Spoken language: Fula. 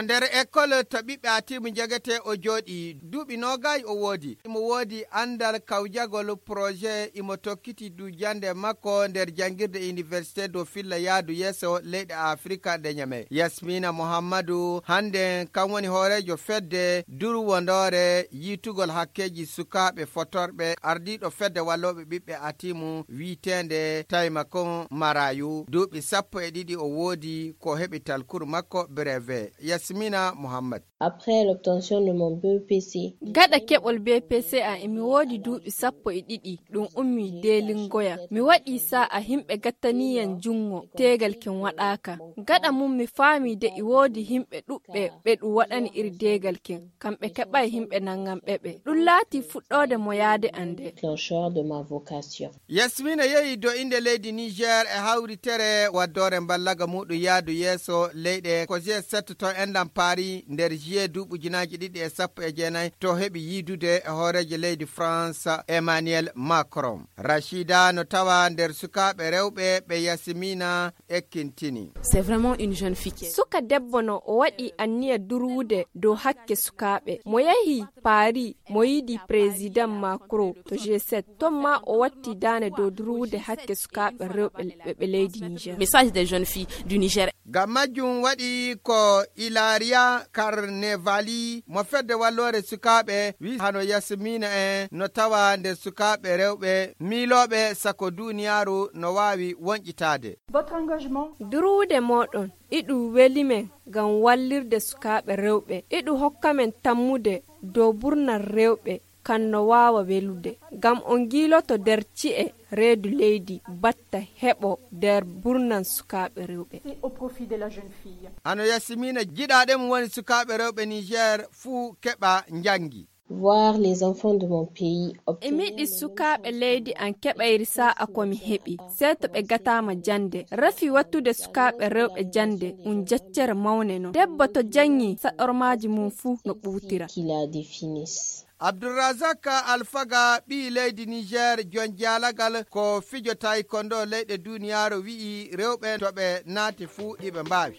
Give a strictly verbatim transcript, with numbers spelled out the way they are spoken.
Nder école to ɓiɓɓe Atimu njegetee o jooɗii, duuɓi noogayi o woodi. Imo woodi anndal kawjagol projet, imo tokkiti du jannde makko nder janngirde Université do Filla yaadu yeeso leyɗe Afrika nde Ñame. Yasmina Muhammadu, hannde kam woni hooreejo fedde durwondoore yiitugol hakkeeji sukaaɓe fotorɓe, ardiiɗo fedde wallooɓe ɓiɓɓe Atimu wiiteende Taimakon Marayu. Duuɓi sappo e ɗiɗi o woodi ko heɓi talkuru makko brevet. Yasmina Muhammad. Après l'obtention de mon B E P C. Gaɗa keɓol B P C a emi woodi duuɓi sappo e ɗiɗi, ɗum ummi deelingoya. Mi waɗi sa'a himɓe gattaniyan junngo, teegal ken waɗaaka. Gaɗa mum mi faami de e woodi himɓe ɗuɓɓe ɓe ɗum waɗani iri deegal ken, kamɓe keɓay himɓe nanganɓe ɓe. Ɗum laati fuɗɗoode mo yaade an de. Déclencheur de ma vocation. Yasmina yehi do innde leydi Niger e hawritere waddoore mballaga muɗum yaadu yeeso leyɗe ko G sept to enɗam Paris nder juillet duuɓi ujunaaji ɗiɗi e sappo e jeenayi to heɓi yiidude e hooreejo leydi France Emmanuel Macron. Rachida no tawa nder sukaaɓe rewɓe ɓe Yasmina ekkintini. C'est vraiment une jeune fille qui est Suka debbo no o waɗi anniya durwude dow hakke sukaaɓe. Mo yehi Paris, mo yiɗi président Macron to G sept. Ton ma o watti daane dow durwude hakke sukaaɓe rewɓe ɓe ɓe leydi Niger. Message des jeunes filles du Niger. Ngam majjum waɗi ko Ilaria Carnevali mo fedde walloore sukaaɓe wi hano Yasmina en no tawa nder sukaaɓe rewɓe miilooɓe sako duniyaaru no waawi wonƴitaade. Votre engagement. Durwude mooɗon, iɗum weli men ngam wallirde sukaaɓe rewɓe. Iɗum hokka men tammude dow burnal rewɓe, kan no waawa welude. Ngam on ngiiloto nder ci'e reedu leydi, batta heɓo nder burnal sukaaɓe rewɓe. Et au profit de la jeune fille. Hano Yasmina jiɗaaɗe mum woni sukaaɓe rewɓe Niger fuu keɓa njanngi. Voir les enfants de mon pays E obtenir miɗi le sukaaɓe leydi an keɓayri sa'a ko mi heɓi, sey to ɓe gataama jannde. Rafi wattude sukaaɓe rewɓe jannde, un jeccere mawne non. Debbo to janngi, saɗormaaji mum fuu no ɓuutira. Qu'il a définis. Abdulrazak Alfaga, ɓii leydi Niger, jon jaalagal ko fijo taekwondo leyɗe duniyaaru, wi'i rewɓe to ɓe naati fuu iɓe mbaawi.